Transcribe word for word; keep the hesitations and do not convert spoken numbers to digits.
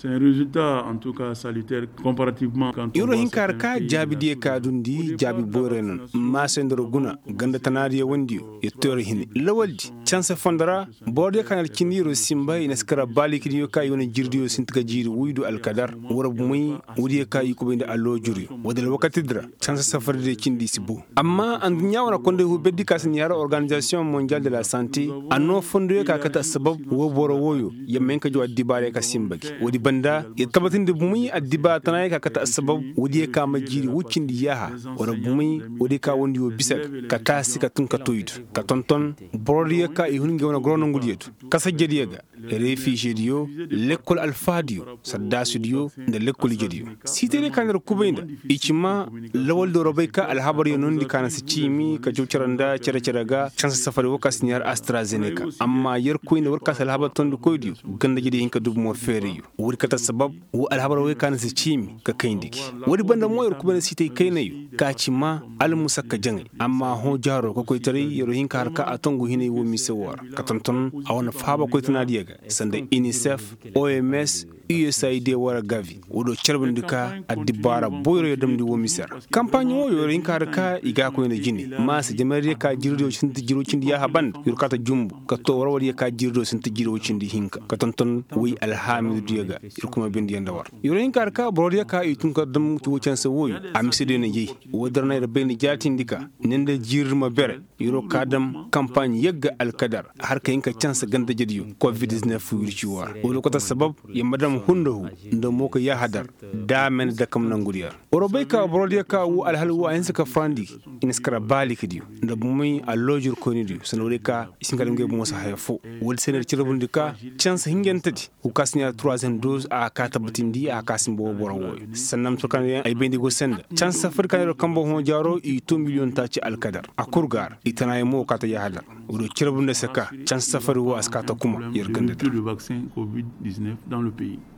Yer wo hinka har ka jaabi diyo ka dundi jaabi boyray no. Maasay nda yer guna ganda tanaadiyo wandiyo yer to yer hine lawaldi canse fondo ra. Boro diyo ka na yer cindi yer wo sinba i na si kara baalikidiyo ka i wane jiiridiyo sinti ka jiiri woydu alkadar. War bumey woodiyo ka i kubay nda aloojuryo woodi alwakatidi ra. Canse safardiyo cindi si bo. Amma adduɲɲa wane konday huu berdi ka si ni har organizasiyoŋ mondial de la sante a noo fondoyo ka kate assabab woo boro wooyo. Yer ma hin ka jaw addibaarey ka sinba gi woodi banda yer tabatindi bumey addibaara tanaayey ka kate assabab woodiyo ka ma jiiri woy cindi yaaha. War bumey woodiyo ka wondi woo bisa ga ka taasi ka tun ka toydu ka tonton borodiyo ka i hun ngey wane goro nongudiyo du. Kasajediyo ga, refiizediyo, lekkol alfahadiyo, sardaasudiyo, nda lekkol ijediyo. Siitaydiyo ka na yer kubay nda i ci maa lawaldiyo war bay ka alhabaryo noondi ka na si ciimi ka jaw cere nda cere-cere ga canse safari woo ka si ni har astrazeneca. Amma yerkoy nda war ka si alhabar tondikoydiyo ganda-ijediyo hin ka du bumo feerayyo. Woodi kate assabab woo alhabar woy ka na si ciimi ka kayndi gi. Woodi banda mo yer kubay nda siitay kaynayo ka ci maa almusakka jaŋay. Amma hõ jaaro kokoytaray yer wo hin ka har ka a tongu hinay woo mise woo ra ka tonton a wane fahaba koytanaadiyo ga sanda inisef, oms, usaid wara gavi. Woodiyo carbundi ka addibaara boyro yer damndi woo mise ra. Kampaaɲ wooyo yer hin ka har ka i ga a koy nda jine maasa jamaydiyo ka jiiridiyo sinti jiiri woy cindi yaaha banda yer wo kaata jumbu ka too warwardiyo ka jiiridiyo sinti jiiri woy cindi hinka ka tonton woy alhaamidudiyo ga. Yer kuma bindi yer nda war yer wo hin ka har ka borodiyo ka i tun ka dam woy canse wooyo. A misediyo na yay. Woodi ra na yer bay nda jaatindi ka ne nda jiiri ma bere. Yer wo ka dam kampaaɲ yagga alkadar har ka hin ka canse ganda-ijediyo kovid-diznef wirci woo ra. Woodi kate assabab yer ma dam hundahu nda mooka yaahadar. Da a meendi dakam nongudiyo ra war wo bay ka borodiyo ka woo alhal woo a hinsa ka farandi i na si kara baalikidiyo nda bumey aloojur koynidiyo sanda woodiyo ka i si hin ka dam ngey bumo se haya foo. Woodi se na yer carbundi ka canse hinjantedi woo ka si ni har turuwazem doz a ga ka tabbatindi a ga ka sinba woo boro wooyo. Sanda ma tur ka na ay bayndi go se nda canse safari ka na yer kambe hõ jaaro i too miliyoŋ taaci alkadar a kul ga a ra i tanaayaŋ mo woo kaata yaahadar. Woodiyo carbundi a se ka canse safari woo a si kaata kuma yer gandadi ra.